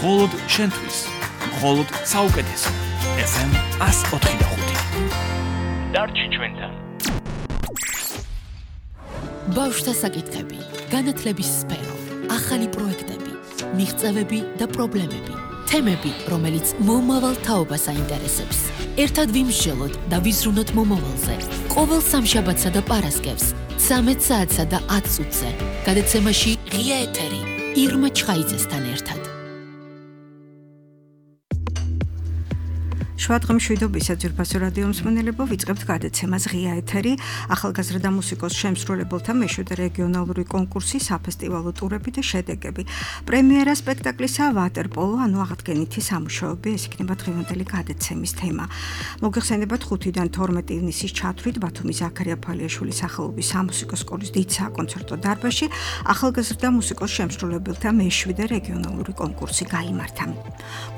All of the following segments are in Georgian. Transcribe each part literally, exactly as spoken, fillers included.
მხოლოდ შენთვის, მხოლოდ საუკეთესო. ეფ ემ one oh five. დარჩი ჩვენთან. ბავშვთა საკითხები, განათლების სფერო, ახალი პროექტები, მიღწევები და პრობლემები, თემები, რომელიც მომავალ თაობას აინტერესებს. ერთად ვიმსჯელოთ და ვიზრუნოთ მომავალზე. ყოველ სამშაბათსა და პარასკევს, ცამეტ საათსა და ათ წუთზე. გადაცემაში ღია ეთერი, ირმა ჩხაიძესთან ერთად. შვადღა მშვიდობისა ძვირფასო რადიო მსმენელებო, ვიწყებთ გადაცემას ღია ეთერი, ახალგაზრდა მუსიკოს შემსრულებელთა მეშვიდე რეგიონალური კონკურსი, საფესტივალო ტურები და შედეგები. პრემიერა სპექტაკლისა ვატერპოლო, ანუ აღდგენითი სამუშაოები, ეს იქნება დღევანდელი გადაცემის თემა. მოგეხსენებათ ხუთიდან თორმეტ ივნისის ჩათვლით ბათუმის ზაქარია ფალიაშვილის სახელობის სამუსიკო სკოლის დიდ საკონცერტო დარბაზში ახალგაზრდა მუსიკოს შემსრულებელთა მეშვიდე რეგიონალური კონკურსი გაიმართა.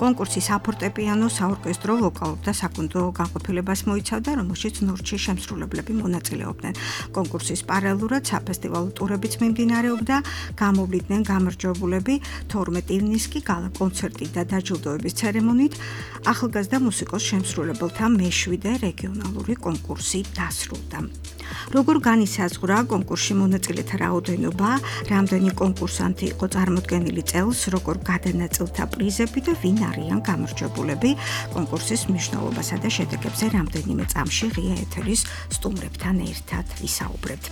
კონკურსი საფორტეპიანო, საორკესტრო, ვოკალურ და საკონცერტო განყოფილებას მოიცავდა, რომელშიც ნორჩი შემსრულებლები მონაწილეობდნენ. კონკურსის პარალელურად საფესტივალო ტურებიც მიმდინარეობდა, გამოვლიდნენ გამარჯვებულები. თორმეტ ივნისს კი გალა კონცერტი და დაჯილდოების ცერემონიით ახალგაზრდა მუსიკოს შემსრულებელთა მეშვიდე რეგიონალური კონკურსი დასრულდა. როგორ განისაზღვრა კონკურსში მონაწილეთა რაოდენობა, რამდენი კონკურსანტი იყო წარმოდგენილი წელს, როგორ გადანაწილდა პრიზები და ვინ არიან გამარჯვებულები, კონკურსის მნიშვნელობასა და შედეგებზე რამდენიმე წამში ღია ეთერის სტუმრებთან ერთად ვისაუბრებთ.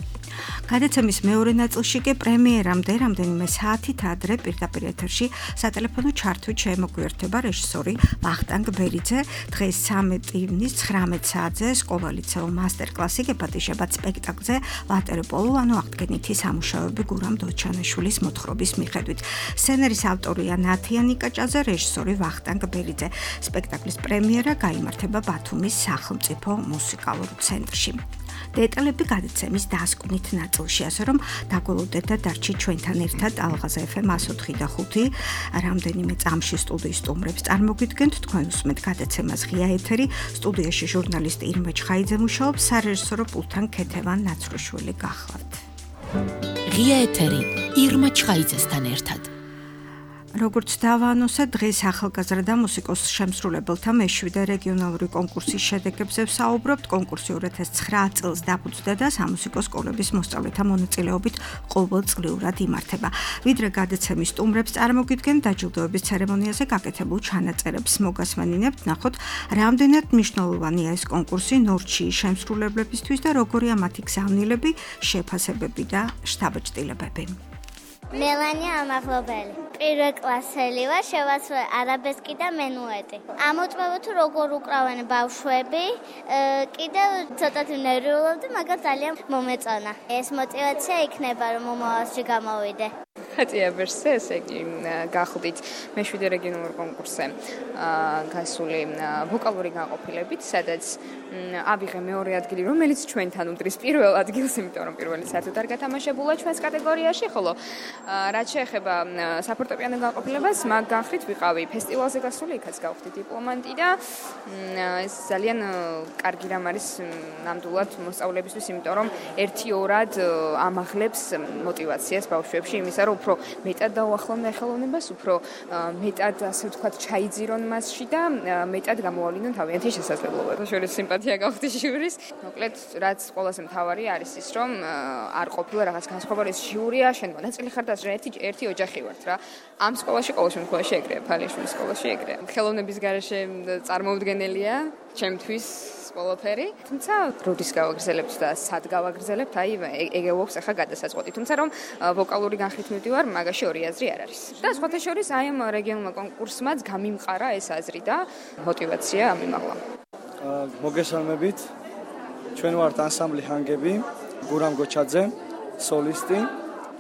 გადაცემის მეორე ნაწილში კი პრემიერამდე რამდენიმე საათით ადრე პირდაპირ ეთერში სატელეფონო ჩართვით შემოგვიერთება რეჟისორი ვახტანგ ბერიძე. დღეს ცამეტ ივნისს ცხრამეტ საათზე სკოლა-ლიცეო მასტერკლასი გეპატიჟებათ სპექტაკლზე ვატერპოლო, ანუ აღდგენითი სამუშაოები გურამ დოჩანაშვილის მოთხრობის მიხედვით. სცენარის ავტორია ნათია ნიკაჭაძე, რეჟისორი ვახტანგ ბერიძე. სპექტაკლის პრემიერა გაიმართება ბათუმის სახელმწიფო მუსიკალურ ცენტრში. დეტალები გადაცემის დასკვნით ნაწილში, ასე რომ დაგველოდეთ და დარჩით ჩვენთან ერთად ალღაზ ეფ ემ one oh five და ხუთი რამდენიმე წამში სტუდიის სტუმრებს წარმოგიდგენთ. თქვენ უსმენთ გადაცემას ღია ეთერი, სტუდიაში ჟურნალისტი ირმა ჩხაიძე მუშაობს, სარეჟისორო პულტთან ქეთევან ნაცროშვილი გახლავთ. ღია ეთერი, ირმა ჩხაიძესთან ერთად. როგორც დავაანონსე, დღეს ახალგაზრდა მუსიკოს შემსრულებელთა მეშვიდე რეგიონალური კონკურსის შედეგებზე ვსაუბრობთ. კონკურსი two thousand nine წელს დაფუძნდა და სამუსიკო სკოლების მოსწავლეთა მონაწილეობით ყოველწლიურად იმართება. ვიდრე გადაცემის სტუმრებს წარმოგიდგენთ, დაჯილდოების ცერემონიაზე გაკეთებულ ჩანაწერებს მოგასმენინებთ, ნახოთ, რამდენად მნიშვნელოვანია ეს კონკურსი ნორჩი შემსრულებლებისთვის და როგორია მათი გზავნილები, შეფასებები და შთაბეჭდილებები. მელანია ამაღლობელი. პირველ კლასელი ვარ, შევასრულე არაბესკი და მენუეტი. ამოწმება თუ როგორ უკრავენ ბავშვები, კიდევ ცოტათი ნერვიულობდი, მაგრამ ძალიან მომეწონა. ეს мотивация იქნება, რომ მომავალში გამოვიდე. ხატია ვერსე, ესე იგი გახლდით მეშვიდე რეგიონულ კონკურსზე გასული ვოკალური განყოფილებით, სადაც ავიღე მეორე ადგილი, რომელიც ჩვენთან უდრის პირველ ადგილს, იმიტომ რომ პირველი საერთოდ არ გათამაშებულა ჩვენს კატეგორიაში, ხოლო რაც შეეხება საფორტეპიანო განყოფილებას, მაგ განხრით ვიყავი ფესტივალზე გასული, იქაც გავხდი დიპლომანტი და ეს ძალიან კარგი რამ არის ნამდვილად მოსწავლეებისთვის, იმიტომ რომ ერთი-ორად ამაღლებს мотиваციას ბავშვებში იმისა, რომ უფრო მეტად დაუახლოვდნენ ხელოვნებას, უფრო მეტად, ასე ვთქვათ, ჩაიძირონ მასში და მეტად გამოავლინონ თავიანთი შესაძლებლობები. შორის სიმპათია გავხდი ჟიურის. მოკლედ, რაც ყველაზე მთავარი არის ის, რომ არ ყოფილა რაღაც განსხვავებული ჟიურია, შენ მონაწილე ხარ და ერთი ერთი ოჯახი ვართ რა. ამ სკოლაში ყოველ შემთხვევაში ეგრეა, ფალიაშვილის სკოლაში ეგრეა. ხელოვნების გარეშე წარმოუდგენელია ჩემთვის ყველაფერი. თუმცა როდის გავაგრძელებთ და სად გავაგრძელებთ, აი ეგ ეუბნებს ახლა გადასაწყვეტი. თუმცა რომ ვოკალური განხრით მივდივარ, მაგაში ორი აზრი არ არის. და სხვათა შორის აი ამ რეგიონულმა კონკურსმაც გამიმყარა ეს აზრი და мотиваცია ამიმაღლა. მოგესალმებით. ჩვენ ვართ ანსამბლი ჰანგები, გურამ გოჩაძე, სოლისტი.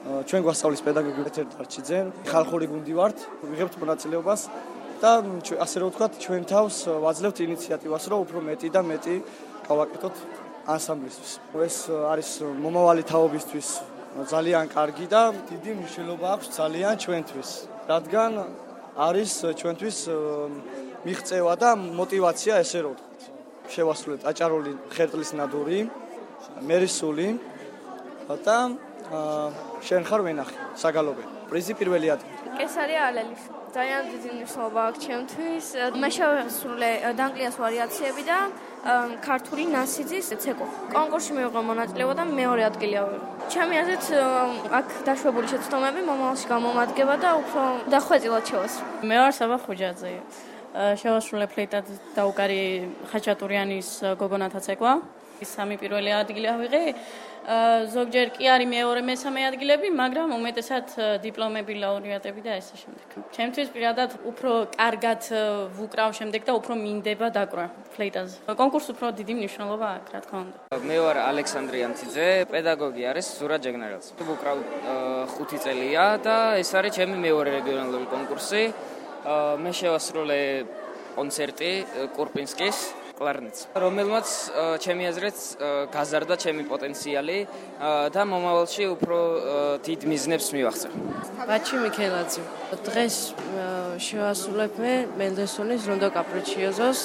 ჩვენ გვასწავლის პედაგოგი პეტერ დარჩიძე, ხალხური გუნდი ვართ, ვიღებთ მონაწილეობას და ასე რომ ვთქვათ, ჩვენ თავს ვაძლევთ ინიციატივას, რომ უფრო მეტი და მეტი გავაკეთოთ ანსამბლისთვის. ეს არის მომავალი თაობისთვის ძალიან კარგი და დიდი მნიშვნელობა აქვს ძალიან ჩვენთვის, რადგან არის ჩვენთვის მიღწევა და мотиваცია, ესე რომ ვთქვათ. შევასრულეთ აჭარული ხერტლის ნადური, მერისული და შენ ხარ ვენახი, საგალობელი. პრიზი პირველი ადგილი. კესარია ალელის. ძალიან დიდი მნიშვნელობა აქვს ჩემთვის. მე შევასრულე დანკლიას ვარიაციები და ქართული ნასიძის ცეკვა. კონკურსში მივიღო მონაწილეობა და მეორე ადგილი ავიღო. ჩემი აზრით აქ დაშვებული შეცდომები მომავალში გამომადგება და უფრო დახვეწილად შევასრულე. მე ვარ საბა ხუჯაძე. შევასრულე ფლეიტად დაუკარი ხაჭატურიანის გოგონათა ცეკვა. სამი პირველი ადგილი ავიღე. ზოგჯერ კი არის მეორე მესამე ადგილები, მაგრამ უმეტესად დიპლომები, ლაურეატები და ესე შემდეგ. ჩემთვის პირადად უფრო კარგად ვუკრავ შემდეგ და უფრო მინდება დაკვრა ფლეიტაზე. კონკურსს უფრო დიდი მნიშვნელობა აქვს, რა თქმა უნდა. მე ვარ ალექსანდრე ამციძე, პედაგოგი არის ზურა ჯეგნერელს. ვუკრავ ხუთი წელია და ეს არის ჩემი მეორე რეგიონალური კონკურსი. მე შევასრულე კონცერტი კურპინსკის კლარნეტს, რომელმაც ჩემი აზრით გაზარდა ჩემი პოტენციალი და მომავალში უფრო დიდ მიზნებს მივახცევ. ბაჩი მიქელაძე. დღეს შევასრულებ მე მენდელსონის რონდო კაპრიჩიოზოს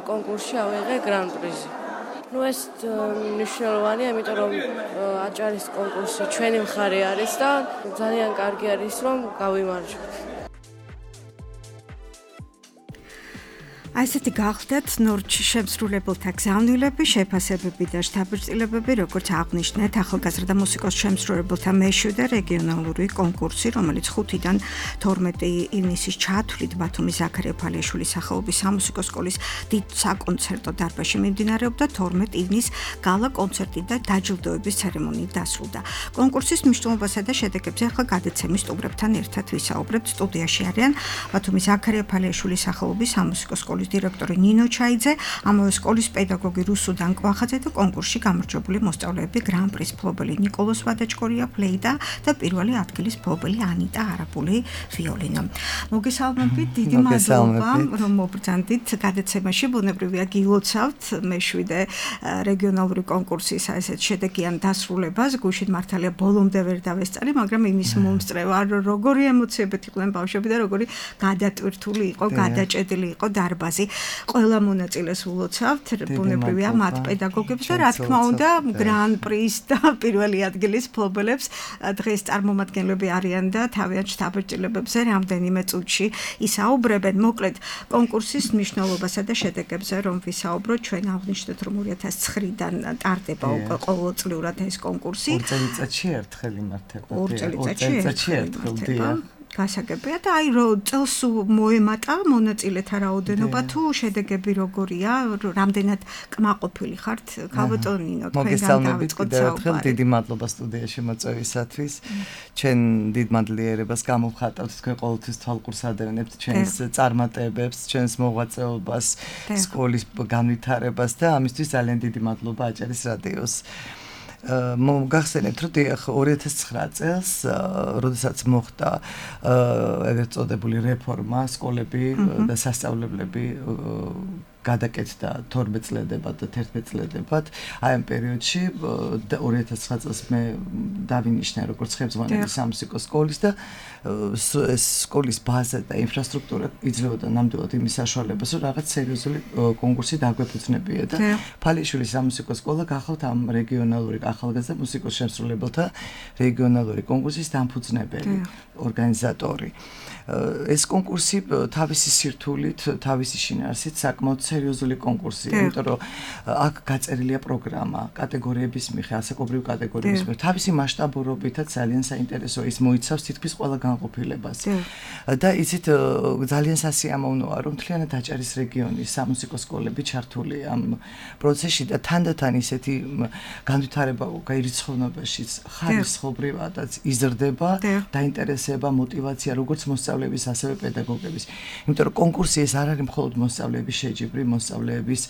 კონკურსში ავიღე გრან პრიზი. ნუ ეს მნიშვნელოვანია, იმიტომ რომ აჭარის კონკურსი ჩვენი მხარე არის და ძალიან კარგი არის რომ გავიმარჯვოთ. აი ესეთი გახდათ ნორჩ შემსრულებელთა გზავნილები, შეფასებები და შთაბეჭდილებები, როგორც აღნიშნეთ, ახალგაზრდა მუსიკოს შემსრულებელთა მეშვიდე რეგიონალური კონკურსი, რომელიც ხუთიდან თორმეტი ივნისის ჩათვლით ბათუმის ზაქარია ფალიაშვილის სახელობის სამუსიკო სკოლის დიდ საკონცერტო დარბაზში მიმდინარეობდა, თორმეტი ივნისს გალა კონცერტი და დაჯილდოების ცერემონიით დასრულდა. კონკურსის მნიშვნელობასა და შედეგებზე ახლა გადაცემის სტუმრებთან ერთად ვისაუბრებთ. სტუდიაში არიან ბათუმის ზაქარია ფალიაშვილის სახელობის სამუსიკო სკოლის დირექტორი ნინო ჩაიძე, ამავე სკოლის პედაგოგი რუსუდან კვახაძე და კონკურსში გამარჯვებული მოსწავლეები გრან პრის მფლობელი ნიკოლოს ვადაჭკორია ფლეიტა და პირველი ადგილის მფლობელი ანიტა არაბული ვიოლინო. მოგესალმებით, დიდი მადლობა, რომ მობრძანდით გადაცემაში. ბუნებრივია გილოცავთ მეშვიდე რეგიონალური კონკურსის ესეთ შედეგიან დასრულებას. გუშინ მართალია ბოლომდე ვერ დავესწარი, მაგრამ იმის მომსწრევა, როგორი ემოციებად იყვნენ ბავშვები და როგორი გადატვირთული იყო, გადაჭედილი იყო დარბაზი. ყველა მონაწილეს ულოცავთ, ბუნებრივია მათ პედაგოგებს და რა თქმა უნდა გრან პრის და პირველი ადგილის მფლობელებს. დღეს წარმომადგენლები არიან და თავიანთ შთაბეჭდილებებზე რამდენიმე წუთში ისაუბრებენ. მოკლედ კონკურსის მნიშვნელობასა და შედეგებზე რომ ვისაუბროთ, ჩვენ აღვნიშნეთ რომ ორი ათას ცხრიდან ტარდება უკვე ყოველწლიურად ეს კონკურსი. ორ წელიწადში ერთხელ იმართება. ორ წელიწადში ერთხელ. გასაგებია და აი რო წელს მოემატა მონაწილეთა რაოდენობა თუ შედეგები როგორია, რამდენად კმაყოფილი ხართ? გავატონინო თქვენგან დავიწყოთ საუბარი. დიდი მადლობა სტუდიაში მოწვევისათვის. ჩვენ დიდ მადლიერებას გამოვხატავთ, თქვენ ყოველთვის თვალყურს ადევნებთ ჩვენს წარმატებებს, ჩვენს მოღვაწეობას, სკოლის განვითარებას და ამისთვის ძალიან დიდი მადლობა აჭარის რადიოს. მოგახსენებთ, რომ ორი ათას ცხრა წელს, როდესაც მოხდა ეგრეთ წოდებული რეფორმა, სკოლები და სასწავლებლები გადაკეთდა თორმეტ წლებად და თერთმეტ წლებად. აი ამ პერიოდში ორი ათას ცხრა წელს მე დავინიშნე როგორც ხელმძღვანელი სამუსიკო სკოლის და ეს სკოლის ბაზა და ინფრასტრუქტურა იძლეოდა ნამდვილად იმის საშუალებას, რომ რაღაც სერიოზული კონკურსი დაგვეფუძნებია და ფალიაშვილის სამუსიკო სკოლა გახავთ ამ რეგიონალური ახალგაზრდა მუსიკოს შემსრულებელთა რეგიონალური კონკურსის დამფუძნებელი ორგანიზატორი. ეს კონკურსი თავისი სირთულით, თავისი შინაარსით საკმაოდ სერიოზული კონკურსია, იმიტომ რომ აქ გაწერილია პროგრამა, კატეგორიების მიხედვით, ასაკობრივი კატეგორიების მიხედვით, თავისი მასშტაბურობითაც ძალიან საინტერესო, ის მოიცავს თითქმის ყველა განყოფილებას. და იცით ძალიან სასიამოვნოა, რომ მთლიანად აჭარის რეგიონის სამუსიკო სკოლები ჩართულია ამ პროცესში და თანდათან ისეთი განვითარება გაირიცხოვნებაშიც ხარისხობრივადაც იზრდება, დაინტერესება, მოტივაცია, როგორც მოსწავლეების, ასევე პედაგოგების. იმიტომ რომ კონკურსი ეს არ არის მხოლოდ მოსწავლეების შეჯიბრი, მოსწავლეების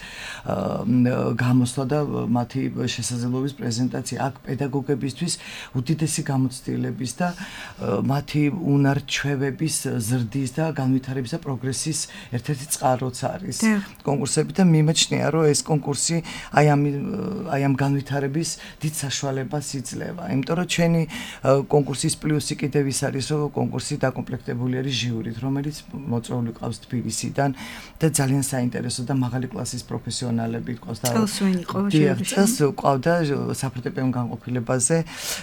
გამოსვლა და მათი შესაძლებლობის პრეზენტაცია. აქ პედაგოგებისთვის უდიდესი გამოცდილების და მათი უნარ-ჩვევების ზრდის და განვითარების და პროგრესის ერთ-ერთი წყაროც არის კონკურსები და მიმაჩნია, რომ ეს კონკურსი აი ამ აი ამ განვითარების დიდ საშუალებას იძლევა. იმიტომ რომ ჩვენი კონკურსის პლუსი კიდევ ის არის, რომ კონკურსი დაკომპლექტებულია ნაყოფიერი ჟიურით, რომელიც მოწვეული ყავს თბილისიდან და ძალიან საინტერესო და მაღალი კლასის პროფესიონალები ყავს და წელს ვინ იყო ჟიურში? წელს ყავდა საფორტეპიანო განყოფილებაზე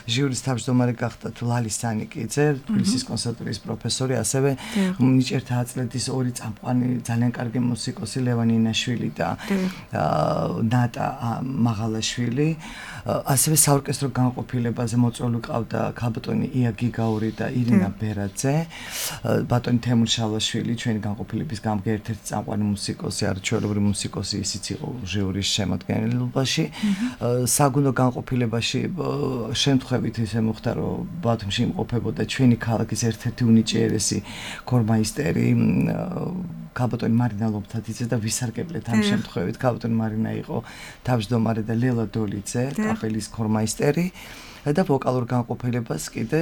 ჟიურის თავმჯდომარე გახდა ლალი სანიკიძე, თბილისის კონსერვატორიის პროფესორი, ასევე ნიჭერთა აწლეთის ორი წამყვანი ძალიან კარგი მუსიკოსი ლევან ინაშვილი და ნატა მაღალაშვილი, ასევე საორკესტრო განყოფილებაზე მოწვეული ყავდა ქალბატონი ია გიგაური და ირინა ბერაძე, ბატონი თემურ შალაშვილი, ჩვენი განყოფილების გამგე ერთ-ერთი წამყვანი მუსიკოსი, არაჩვეულებრივი მუსიკოსი, ისიც იყო ჟიურის შემადგენლობაში. საგუნდო განყოფილებაში შემთხვევით ისე მოხდა, რომ ბათუმში იმყოფებოდა ჩვენი ქალაქის ერთ-ერთი უნიჭიერესი ქორმაისტერი ქალბატონი მარინა ლობთაძე და ვისარგებლეთ ამ შემთხვევით. ქალბატონი მარინა იყო თავმჯდომარე და ლელა დოლიძე, კაპელის ქორმაისტერი. და ვოკალურ განყოფილებას კიდე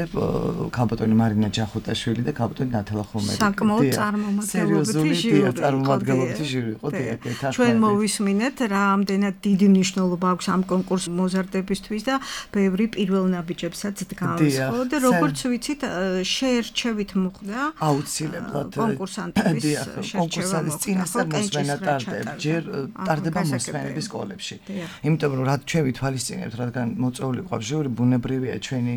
ქალბატონი მარინა ჯახუტაშვილი და ქალბატონი ნათალა ხომერი. საკმაოდ წარმომადგენლობითი ჟიური. წარმომადგენლობითი ჟიური იყო და ჩვენ მოვისმინეთ რა ამდენად დიდი მნიშვნელობა აქვს ამ კონკურს მოზარდებისთვის და ბევრი პირველ ნაბიჯებსაც დგავს, ხო? და როგორც ვიცით, შეერჩევით მოხდა აუცილებლად კონკურსანტების შერჩევა. კონკურსანტის წინასწარ მოსმენა ტარდება, ჯერ ტარდება მოსმენების სკოლებში. იმიტომ რომ რა ჩვენ ვითვალისწინებთ, რადგან მოწვეული ყავს ჟიური, ბუნებრივია ჩვენი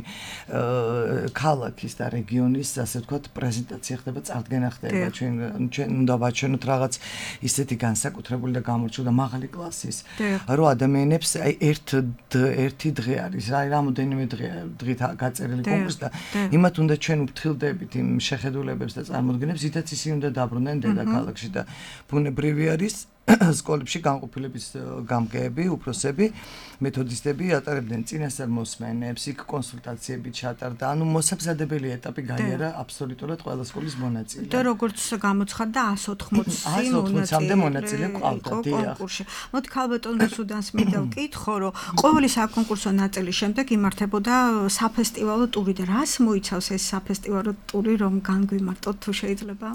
ქალაქის და რეგიონის, ასე ვთქვათ, პრეზენტაცია ხდება, წარდგენა ხდება. ჩვენ ჩვენ უნდა ვაჩვენოთ რაღაც ისეთი განსაკუთრებული და გამორჩეული და მაღალი კლასის, რომ ადამიანებს აი ერთ ერთი დღე არის, რა რამოდენიმე დღე დღით გაწერილი კონკურსი და იმათ უნდა ჩვენ ვფრთხილდებით იმ შეხედულებებს და წარმოდგენებს, ითაც ისინი უნდა დაბრუნდნენ დედაქალაქში და ბუნებრივი არის სკოლებში განყოფილების გამგეები, უფროსები, მეთოდისტები ატარებდნენ წინასწარ მოსმენებს, იქ კონსულტაციები ჩატარდა, ანუ მოსამზადებელი ეტაპი გაიარა აბსოლუტურად ყველა სკოლის მონაწილე. და როგორც გამოცხადდა εκατს ოთხმოცი მონაწილე ყავდა კონკურსში. მოდი ქალბატონ რუსუდანს მინდა ვკითხო, რომ ყოველი საკონკურსო ნაწილის შემდეგ იმართებოდა საფესტივალო ტური და რას მოიცავს ეს საფესტივალო ტური, რომ განგვიმარტოთ თუ შეიძლება?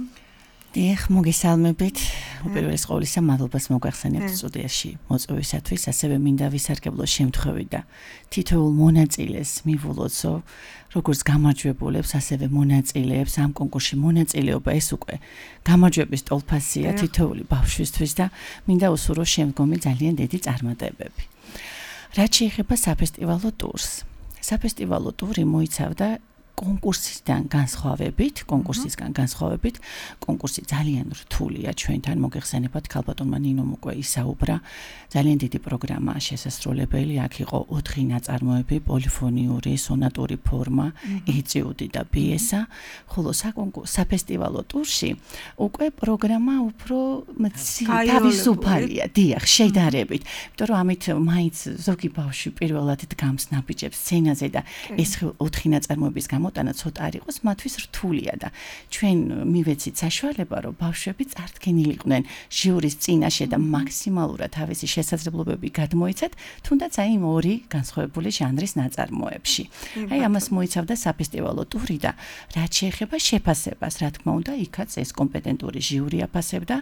დიახ, მოგესალმებით. უპირველეს ყოვლისა, მადლობას მოგახსენებთ სტუდიაში მოწვევისათვის, ასევე მინდა ვისარგებლო შემთხვევით და თითოეულ მონაწილეს მივულოცო, როგორც გამარჯვებულებს, ასევე მონაწილეებს ამ კონკურსში მონაწილეობა ეს უკვე გამარჯვების ტოლფასია თითოეული ბავშვისთვის და მინდა უსურვო შემდგომი ძალიან დიდი წარმატებები. რაც შეეხება საფესტივალო ტურს. საფესტივალო ტური მოიცავდა კონკურსისგან განსხვავებით, კონკურსისგან განსხვავებით, კონკურსი ძალიან რთულია ჩვენთან, მოგეხსენებათ, ქალბატონმა ნინომ უკვე ისაუბრა, ძალიან დიდი პროგრამაა შესასრულებელი, აქ იყო ოთხი ნაწარმოები, პოლიფონიური, სონატური ფორმა, ეტიუდი და პიესა, ხოლო საფესტივალო ტურში უკვე პროგრამა უფრო თავისუფალია, დიახ, შედარებით, იმიტომ რომ ამით მაინც ზოგი ბავშვი პირველად დგამს ნაბიჯებს სცენაზე და ეს ოთხი ნაწარმოების მოტანა ცოტა არ იყოს, მათთვის რთულია და ჩვენ მივეცით საშუალება, რომ ბავშვები წარდგენილიყვნენ ჟიურის წინაშე და მაქსიმალურად თავისი შესაძლებლობები გადმოიცათ, თუნდაც აი იმ ორი განსხვავებული ჟანრის ნაწარმოებში. აი ამას მოიცავდა საფესტივალო ტური და რაც შეეხება შეფასებას, რა თქმა უნდა, იქაც ეს კომპეტენტური ჟიური აფასებდა.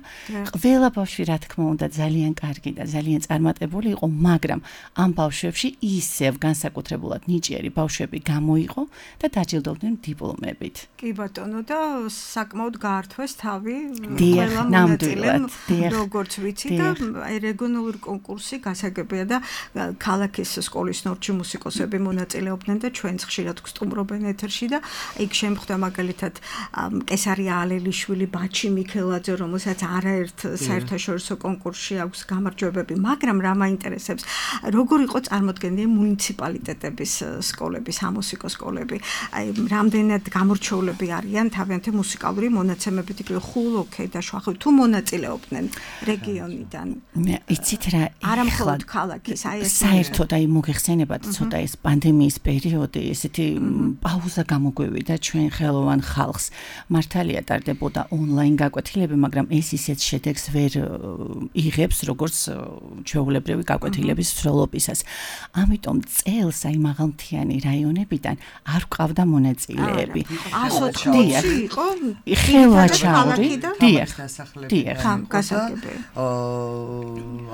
ყველა ბავშვი, რა თქმა უნდა, ძალიან კარგი და ძალიან წარმატებული იყო, მაგრამ ამ ბავშვებში ისევ განსაკუთრებულად ნიჭიერი ბავშვები გამოიყო და დაჯილდოვდნენ დიპლომებით. კი ბატონო და საკმაოდ გაართვეს თავი ყველა მონაწილემ, როგორც ვიცი და რეგიონალური კონკურსი გასაგებია და ქალაქის სკოლის ნორჩი მუსიკოსები მონაწილეობდნენ და ჩვენც ხშირად გსტუმრობენ ეთერში და იქ შემხვდა მაგალითად კესარია ალელიშვილი, ბაჩი მიქელაძე, რომელსაც არაერთ საერთაშორისო კონკურსში აქვს გამარჯვებები, მაგრამ რა მაინტერესებს, როგორ იყო წარმოდგენილი მუნიციპალიტეტების სკოლები, სამუსიკო სკოლები. აი რამდენად გამორჩეულები არიან თავიანთი მუსიკალური მონაცემებით, იქ ხულოქე და შვახი თუ მონაწილეობდნენ რეგიონიდან. მე იცით რა, არა მხოლოდ ქალაქის, აი ეს საერთოდ აი მოგეხსენებათ ცოტა ეს პანდემიის პერიოდი, ესეთი პაუზა გამოგვივიდა ჩვენ ხელოვან ხალხს. მართალია ტარდებოდა ონლაინ გაკვეთილები, მაგრამ ეს ისეთ შედეგს ვერ იღებს, როგორც ჩვეულებრივი გაკვეთილების მსვლელობისას. ამიტომ წელს აი მაღალმთიანი რაიონებიდან არ ყავდა მონაწილეები. εκατს ოთხმოცი იყო ხელვაჩაური, დიახ, დიახ, გასაგებია. აა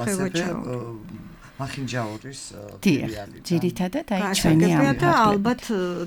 ასევე მახინჯაურის ფილიალი. ძირითადად აი ჩვენი ამ და ალბათ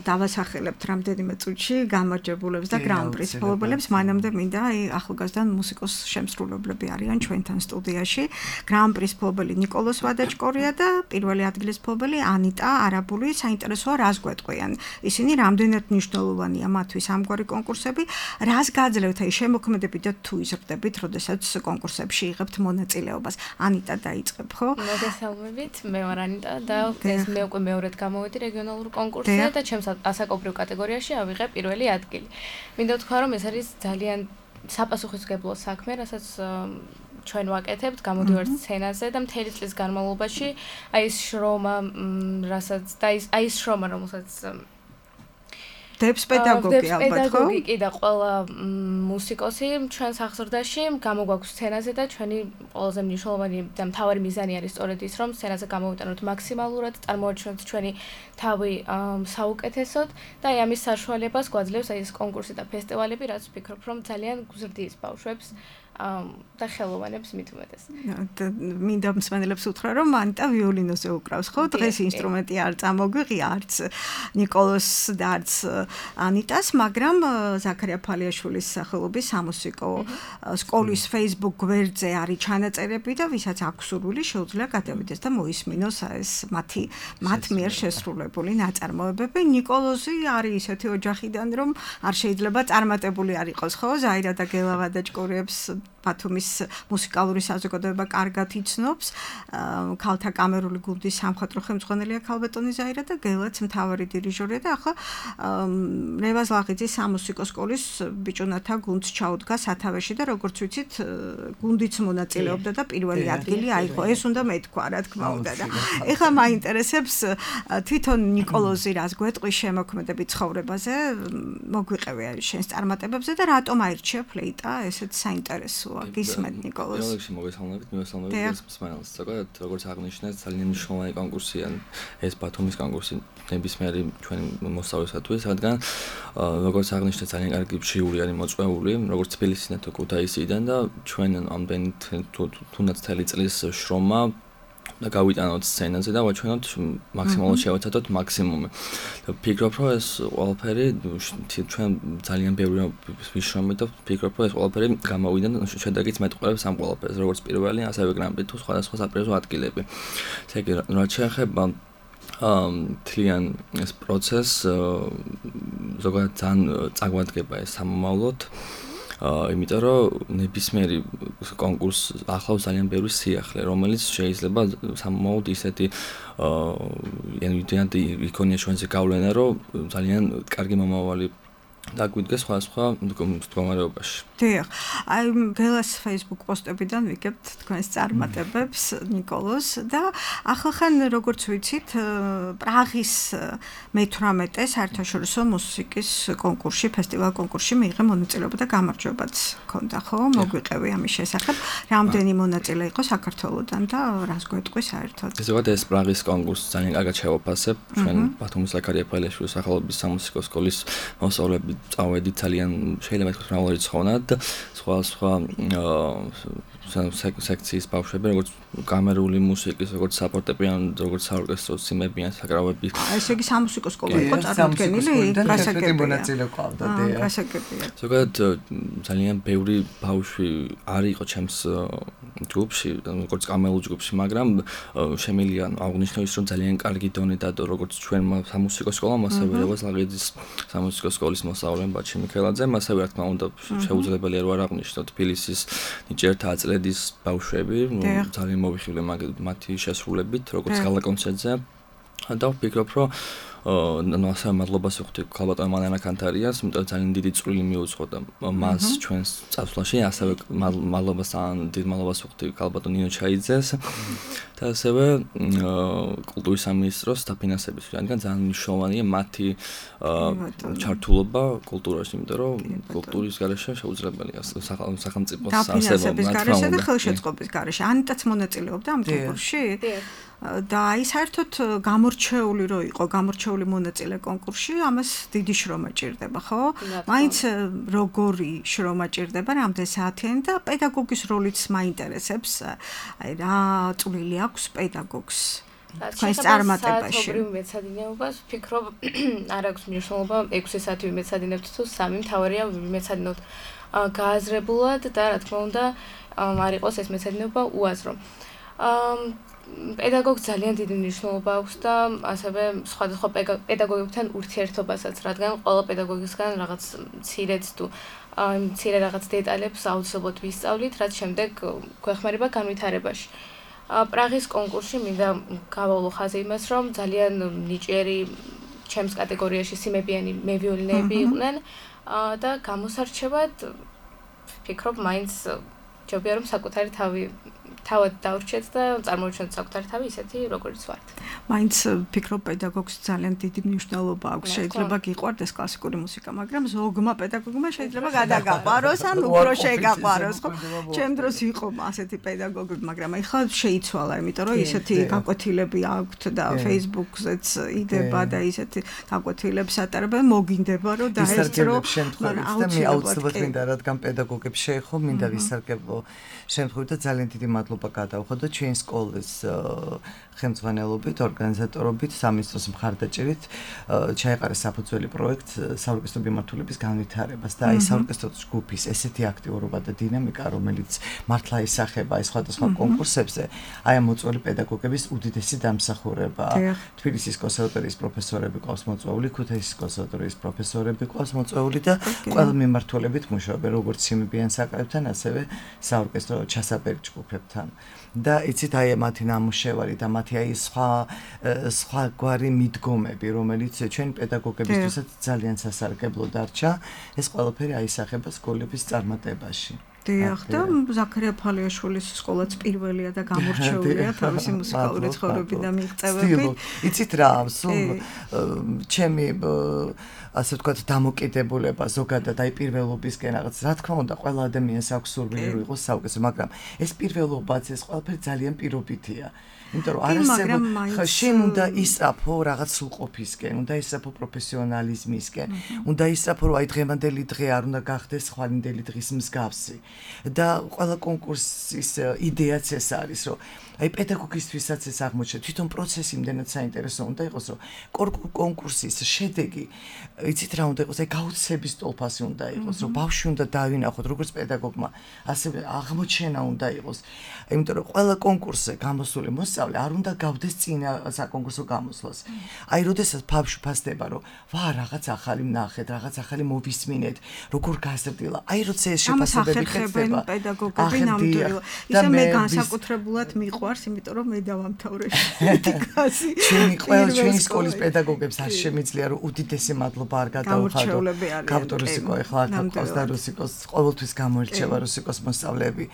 დავასახელებთ რამდენიმე წუთში გამარჯვებულებს და გრან-პრის მფლობელებს. მანამდე მინდა აი ახალგაზრდა მუსიკოს შემსრულებლები არიან ჩვენთან სტუდიაში. გრან-პრის მფლობელი ნიკოლოს ვადაჭკორია და პირველი ადგილის მფლობელი ანიტა არაბული. საინტერესოა რას გვეტყვიან. ისინი რამდენად მნიშვნელოვანია მათთვის ამგვარი კონკურსები, რას გაძლევთ აი შემოქმედებით და თუ იზრდებით, როდესაც კონკურსებში იღებთ მონაწილეობას. ანიტა დაიწყებ, ხო? მოგესალმებით, მე ვარ ანიტა და ეს მე უკვე მეორედ გამოვედი რეგიონალურ კონკურსზე და ჩემს ასაკობრივ კატეგორიაში ავიღე პირველი ადგილი. მინდა ვთქვა, რომ ეს არის ძალიან საპასუხისმგებლო საქმე, რასაც ჩვენ ვაკეთებთ, გამოდივართ სცენაზე და მთელი წლის განმავლობაში აი ეს შრომა, რასაც და აი ეს შრომა, რომელსაც დებს პედაგოგი ალბათ, ხო? პედაგოგი კი და ყველა მუსიკოსი ჩვენს აღზრდაში გამოგვაქვს სცენაზე და ჩვენი ყველაზე მნიშვნელოვანი და მთავარი მიზანი არის სწორედ ის, რომ სცენაზე გამოვიტანოთ მაქსიმალურად, წარმოაჩინოთ ჩვენი თავი საუკეთესოდ და აი ამის საშუალებას გვაძლევს აი ეს კონკურსი და ფესტივალები, რაც ვფიქრობ, რომ ძალიან გზრდის ბავშვებს და ხელოვანებს მით უმეტეს. მინდა მსმენელებს უთხრა, რომ ანიტა ვიოლინოზე უკრავს, ხო? დღეს ინსტრუმენტი არ წამოგვიღია არც ნიკოლოს და არც ანიტას, მაგრამ ზაქარია ფალიაშვილის სახელობის სამუსიკო სკოლის Facebook გვერდზე არის ჩანაწერები და ვისაც აქვს სურვილი შეუძლია გადავიდეს და მოისმინოს ეს მათი მათ მიერ შესრულებული ნაწარმოებები. ნიკოლოზი არის ისეთი ოჯახიდან, რომ არ შეიძლება წარმატებული არ იყოს, ხო? ზაირა და გელა ვადაჭკორიებს ბათუმის მუსიკალური საზოგადოება კარგად იცნობს. ქალთა კამერული გუნდის სამხატვრო ხელმძღვანელია ქალბატონი ზაირა და გელაც მთავარი დირიჟორია და ახლა რევაზ ლაღიძის სამუსიკო სკოლის ბიჭუნათა გუნდს ჩაუდგა სათავეში და როგორც ვიცით გუნდიც მონაწილეობდა და პირველი ადგილი აიღო. ეს უნდა მეთქვა, რა თქმა უნდა და ეხლა მაინტერესებს თვითონ ნიკოლოზი რას გვეტყვის შემოქმედებით ცხოვრებაზე, მოგვიყევი შენს წარმატებებზე და რატომ აირჩია ფლეიტა, ესეც საინტერესოა. გისმენთ ნიკოლოზ. ეოლექსი მოგესალმებით, მივესალმებით მსმენელს. ზოგადად, როგორც აღნიშნეთ, ძალიან მნიშვნელოვანი კონკურსია ეს ბათუმის კონკურსი ნებისმიერი ჩვენი მოსწავლისათვის, რადგან როგორც აღნიშნეთ, ძალიან კარგი ჟიური არის მოწვეული, როგორც თბილისიდან თუ ქუთაისიდან და ჩვენ ამდენი თუნდაც თელი წლის შრომა და გავიტანოთ სცენაზე და ვაჩვენოთ მაქსიმალურად შევაცადოთ მაქსიმუმი. და ვფიქრობ, რომ ეს ყველაფერი ჩვენ ძალიან ბევრი ვიშრომით და ვფიქრობ, რომ ეს ყველაფერი გამოვიდა და შედეგიც მეტყველებს ამ ყველაფერს, როგორც პირველი, ასევე გრან-პრი თუ სხვადასხვა საპრიზო ადგილები. ესე იგი, რაც შეეხება თლიან ეს პროცესს, ზოგადად ძალიან წაგვადგება ეს სამომავლოდ. იმიტომ რომ ნებისმიერი კონკურს ახლავს ძალიან ბევრი სიახლე, რომელიც შეიძლება სამომავლოდ ისეთი ანუ იქონია ჩვენზე გავლენა, რომ ძალიან კარგი მომავალი დაგვიდგეს სხვადასხვა მდგომარეობაში. დიახ, აი გელას Facebook პოსტებიდან ვიგებთ თქვენს წარმატებებს ნიკოლოს და ახალხან როგორც ვიცით პრაღის მეთვრამეტე საერთაშორისო მუსიკის კონკურსში, ფესტივალ კონკურსში მიიღე მონაწილეობა და გამარჯვებაც ჰქონდა, ხო? მოგვიყევი ამის შესახებ. რამდენი მონაწილე იყო საქართველოსდან და რას გვეტყვის საერთოდ? ზოგადად ეს პრაღის კონკურსი ძალიან კარგად შევაფასებ. ჩვენ ბათუმის ზაქარია ფალიაშვილის სახელობის სამუსიკო სკოლის მოსწავლეები წავედით ძალიან შეიძლება ითქვას მრავალრიცხოვანად და სხვა სხვა სექციის ბავშვები, როგორც კამერული მუსიკის, როგორც საფორტეპიანო, როგორც საორკესტრო სიმებიან საკრავები. ესე იგი სამუსიკო სკოლა იყო წარმოქმნილი, გასაგებია. მონაწილე ყავდა, დიახ. გასაგებია. ზოგადად ძალიან ბევრი ბავშვი არ იყო ჩემს ჯგუფში, როგორც კამერულ ჯგუფში, მაგრამ შემიძლია აღნიშნო ის, რომ ძალიან კარგი დონე დადო, როგორც ჩვენმა სამუსიკო სკოლამ, ასევე რევაზ ლაღიძის სამუსიკო სკოლის მოსწავლემ ბაჩი მიქელაძემ, ასევე რა თქმა უნდა შეუძლებელია რომ არ აღნიშნოთ თბილისის ნიჭერთა აწლედის ბავშვები, ძალიან მოვიხილე მათი შესრულებით, როგორც გალა კონცერტზე. და ვფიქრობ, რომ ანუ ასე მადლობას ვუხდი ქალბატონ მანანა კანთარიას, იმიტომ ძალიან დიდი წვლილი მიუძღოდა მას ჩვენს წასვლაში, ასევე მადლობას ძალიან დიდ მადლობას ვუხდი ქალბატონ ნინო ჩაიძეს და ასევე კულტურის სამინისტროს დაფინანსების, რადგან ძალიან მნიშვნელოვანია მათი ჩართულობა კულტურაში, იმიტომ რომ კულტურის გარეშე შეუძლებელია სახელმწიფოს დაფინანსების გარეშე და ხელშეწყობის გარეშე. ანიტაც მონაწილეობდა ამ კონკურსში? და აი საერთოდ გამორჩეული რო იყო, გამორჩეული არჩეული მონაწილე კონკურსში, ამას დიდი შრომა ჭირდება, ხო? მაინც როგორი შრომა ჭირდება, რამდენი საათიანი და პედაგოგის როლიც მაინტერესებს. აი რა წვლილი აქვს პედაგოგს თქვენს წარმატებაში? საათობრივ მეცადინეობას ვფიქრობ, არ აქვს მნიშვნელობა ექვსი საათი ვიმეცადინებთ თუ სამი, მთავარია ვიმეცადინოთ გააზრებულად და რა თქმა უნდა არ იყოს ეს მეცადინეობა უაზრო. პედაგოგს ძალიან დიდი მნიშვნელობა აქვს და ასევე სხვადასხვა პედაგოგებთან ურთიერთობასაც, რადგან ყველა პედაგოგისგან რაღაც მცირეც თუ მცირე რაღაც დეტალებს აუცილებლად ვისწავლით, რაც შემდეგ გვეხმარება განვითარებაში. პრაღის კონკურსში მინდა გავავლო ხაზი იმას, რომ ძალიან ნიჭიერი ჩემს კატეგორიაში სიმებიანი მევიოლინეები იყვნენ და გამოსარჩევად ვფიქრობ, მაინც ჯობია რომ საკუთარი თავი თავად დავრჩეთ და წარმოუჩენთ საკუთარი თავი ისეთი, როგორიც ვართ. მაინც ვფიქრობ, პედაგოგს ძალიან დიდი მნიშვნელობა აქვს. შეიძლება გიყვარდეს კლასიკური მუსიკა, მაგრამ ზოგმა პედაგოგმა შეიძლება გადაგაყვაროს ან უფრო შეგაყვაროს, ხო? ჩემ დროს იყო ასეთი პედაგოგები, მაგრამ ახლა შეიცვალა, იმიტომ რომ ისეთი გაკვეთილები აქვთ და Facebook-ზეც იდება და ისეთი გაკვეთილებს ატარებენ, მოგინდება რომ დაესწრო, მაგრამ მე აუცილებლად მინდა, რადგან პედაგოგებს შეეხო, მინდა ვისარგებლო შემთხვევით და ძალიან დიდი მადლობა გადავხადო ჩვენი სკოლის ხელმძღვანელობით, ორგანიზატორობით, სამინისტროს მხარდაჭერით ჩაეყარა საფუძველი პროექტ საორკესტრო მიმართულების განვითარებას და აი საორკესტრო ჯგუფის ესეთი აქტიურობა და დინამიკა, რომელიც მართლა ისახება აი სხვადასხვა კონკურსებზე, აი ამ მოწვეული პედაგოგების უდიდესი დამსახურებაა. თბილისის კონსერვატორიის პროფესორები ყავს მოწვეული, ქუთაისის კონსერვატორიის პროფესორები ყავს მოწვეული და ყველა მიმართულებით მუშაობენ, როგორც სიმებიან საკრავებთან, ასევე საორკესტრო ჩასაბერი ჯგუფებთან. და იცით აი მათი ნამუშევარი და მათი აი სხვა სხვა გვარი მიდგომები, რომელიც ჩვენ პედაგოგებისთვისაც ძალიან სასარგებლო დარჩა, ეს ყველაფერი აისახება სკოლების წარმატებაში. დიახ, და ზაქარია ფალიაშვილის სკოლაც პირველია და გამორჩეულია თავისი მუსიკალური ცხოვრებით და მიღწევებით. იცით რა, სულ ჩემი ასე ვთქვათ, დამოკიდებულება ზოგადად აი პირველობისკენ რაღაც, რა თქმა უნდა, ყველა ადამიანს აქვს სურვილი რომ იყოს საუკეთესო, მაგრამ ეს პირველობაც, ეს ყველაფერი ძალიან პირობითია. იმიტომ რომ არასდროს შენ უნდა ისწრაფო რაღაც სრულყოფისკენ, უნდა ისწრაფო პროფესიონალიზმისკენ, უნდა ისწრაფო რომ აი დღევანდელი დღე არ უნდა გახდეს ხვალინდელი დღის მსგავსი. და ყველა კონკურსის იდეაც ეს არის, რომ აი პედაგოგისთვისაც ეს აღმოჩნდა, თვითონ პროცესი იმდენად საინტერესო უნდა იყოს, რომ კონკურსის შედეგი, იცით რა უნდა იყოს, აი გაუცების ტოლფასი უნდა იყოს, რომ ბავშვი უნდა დავინახოთ, როგორც პედაგოგმა, ასევე აღმოჩენა უნდა იყოს. იმიტომ რომ ყველა კონკურსზე გამოსული მოსწავლე არ უნდა გავდეს წინა საკონკურსო გამოსვლას. აი როდესაც ბავშვი ფასდება, რომ ვა რაღაც ახალი ვნახეთ, რაღაც ახალი მოვისმინეთ, როგორ გაზრდილა. აი როცა ეს შეფასებები ხდება, პედაგოგები ნამდვილად. ისე მე განსაკუთრებულად მიყვარს, იმიტომ რომ მე დავამთავრე ეთიკაში. ჩვენი ყველა ჩვენი სკოლის პედაგოგებს არ შემიძლია რომ უდიდესი მადლობა არ გადაუხადო. კავტორუსიკო ეხლა ყავს და რუსიკოს ყოველთვის გამოირჩევა რუსიკოს მოსწავლეები.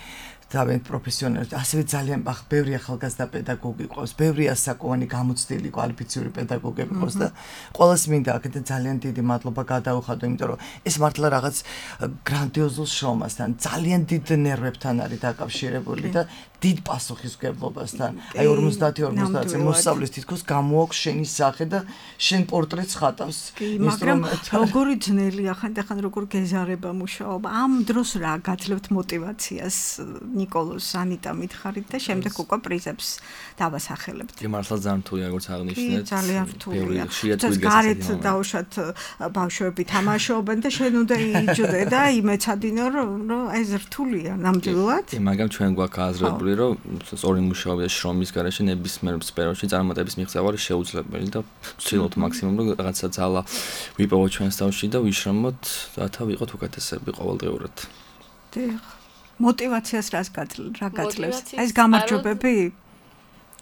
დავენ პროფესიონალები, ასევე ძალიან ბევრი ახალგაზრდა პედაგოგი ყავს, ბევრი ასაკოვანი გამოცდილი კვალიფიციური პედაგოგები ყავს და ყველას მინდა აქედან ძალიან დიდი მადლობა გადაუხადო, იმიტომ რომ ეს მართლა რაღაც გრანდიოზულ შრომასთან, ძალიან დიდ ნერვებთან არის დაკავშირებული და დიდ პასუხისმგებლობასთან. აი ორმოცდაათი ორმოცდაათი მოსწავლის თითქოს გამოაქვს შენი სახე და შენ პორტრეტს ხატავს. მაგრამ როგორი ძნელია ხანდახან როგორ გეზარება მუშაობა. ამ დროს რა გაძლევთ мотиваციას? ნიკოლოს ანიტა მითხარით და შემდეგ უკვე პრიზებს დავასახელებთ. კი, მართლა ძალიან რთულია, როგორც აღნიშნეთ. ძალიან რთულია. გარეთ დაუშვათ ბავშვები თამაშობენ და შენ უნდა იჯდე და იმეცადინო რომ ეს რთულია ნამდვილად. კი, მაგრამ ჩვენ გვაქვს აზრებული, რომ სწორი მუშაობა და შრომის გარეშე ნებისმიერ სფეროში წარმატების მიღწევა არის შეუძლებელი და ვცდილობთ მაქსიმუმ რომ რაღაცა ძალა ვიპოვოთ ჩვენს თავში და ვიშრომოთ, რათა ვიყოთ უკეთესები ყოველდღიურად. დიახ. мотиваციას რას რა გაძლევს? ეს გამარჯვებები?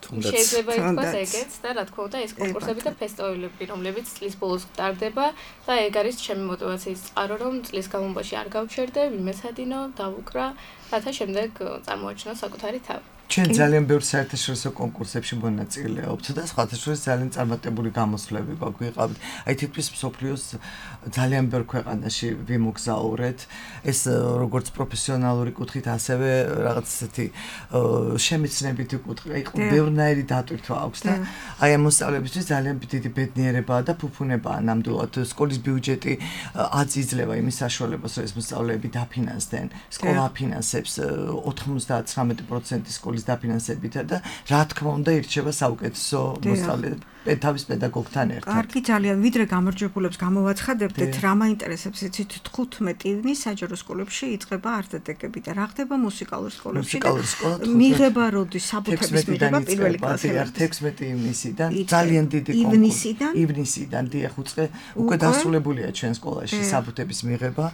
შეიძლება ითქვას ეგეც და რა თქმა უნდა ეს კონკურსები და ფესტივალები, რომლებიც წლის ბოლოს ტარდება და ეგ არის ჩემი мотиваციის წყარო, რომ წლის განმავლობაში არ გავჩერდე, ვიმეცადინო, დავუკრა, რათა შემდეგ წარმოაჩინო საკუთარი თავი. ჩვენ ძალიან ბევრ საერთაშორისო კონკურსებში მონაწილეობთ და სხვათა შორის ძალიან წარმატებული გამოსვლები გვაქვს. აი თითქმის მსოფლიოს ძალიან ბევრ ქვეყანაში ვიმოგზაურეთ. ეს როგორც პროფესიონალური კუთხით, ასევე რაღაც ესეთი შემეცნებითი კუთხით, აი ბევრნაირი დატვირთვა აქვს და აი ამ მოსწავლეებისთვის ძალიან დიდი ბედნიერებაა და ფუფუნებაა ნამდვილად. სკოლის ბიუჯეტი აწიძლება იმის საშუალებას, რომ ეს მოსწავლეები დაფინანსდნენ. სკოლა აფინანსებს ოთხმოცდაათი პროცენტი სკოლის დაფინანსებითა და რა თქმა უნდა ირჩება საუკეთესო მოსწავლე თავის პედაგოგთან ერთად. კარგი ძალიან, ვიდრე გამარჯვებულებს გამოვაცხადებდეთ, რა მაინტერესებს იცით თხუთმეტი ივნის საჯარო სკოლებში იწყება არტ-ეტეკები და რა ხდება მუსიკალურ სკოლებში და მიღება როდის საბუთების მიღება პირველი კლასიდან თექვსმეტი ივნისიდან ძალიან დიდი კონკურსი ივნისიდან დიახ უწყე უკვე დასრულებულია ჩვენ სკოლაში საბუთების მიღება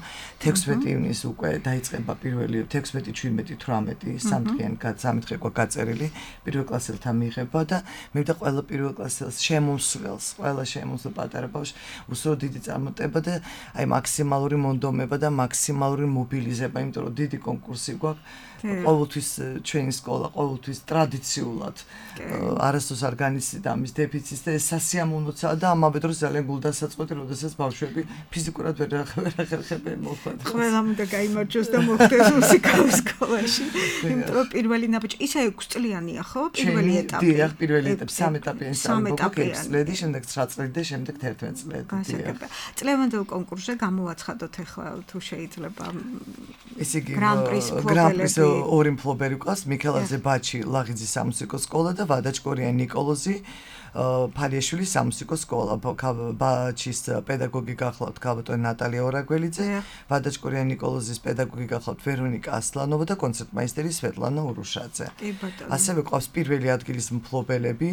თექვსმეტი ივნის უკვე დაიწყება პირველი თექვსმეტი შვიდმეტი თვრამეტი სამდღიანი სამი დღე ყო გაწერილი პირველ კლასელთა მიღება და მე და ყველა პირველ კლასელს შემოსვლელს ყველა შემოსვლელ პატარა ბავშვს უსრო დიდი წარმატება და აი მაქსიმალური მონდომება და მაქსიმალური მობილიზება იმიტომ რომ დიდი კონკურსი გვაქვს ყოველთვის ჩვენი სკოლა ყოველთვის ტრადიციულად არასდროს არ განიცდიდა ამის დეფიციტს და ეს სასიამოვნოა და ამავე დროს ძალიან გულდასაწყვეტი როდესაც ბავშვები ფიზიკურად ვერ ახერხებენ მოხვედრას ყველამ უნდა გაიმარჯვოს და მოხდეს მუსიკალურ სკოლაში იმიტომ რომ პირველი ნაბიჯი ისა ექვს წლიანია ხო პირველი ეტაპი დიახ პირველი ეტაპი სამი ეტაპიანი სამი წლები შემდეგ ცხრა წლები და შემდეგ თერთმეტი წლები დიახ წლევანდელ კონკურსზე გამოვაცხადოთ ახლა თუ შეიძლება ესე იგი გრან-პრის ორი მფლობელი ყავს მიქელაძე ბაჩი ლაღიძის სამუსიკო სკოლა და ვადაჭკორიანი ნიკოლოზი ფალიაშვილის სამუსიკო სკოლა ბაჩის პედაგოგი გახლავთ ქალბატონი ნატალია ორაგველიძე ვადაჭკორიანი ნიკოლოზის პედაგოგი გახლავთ ვერონიკა ასლანოვა და კონცერტმაისტერი სვეტლანა ურუშაძე ასევე ყავს პირველი ადგილის მფლობელები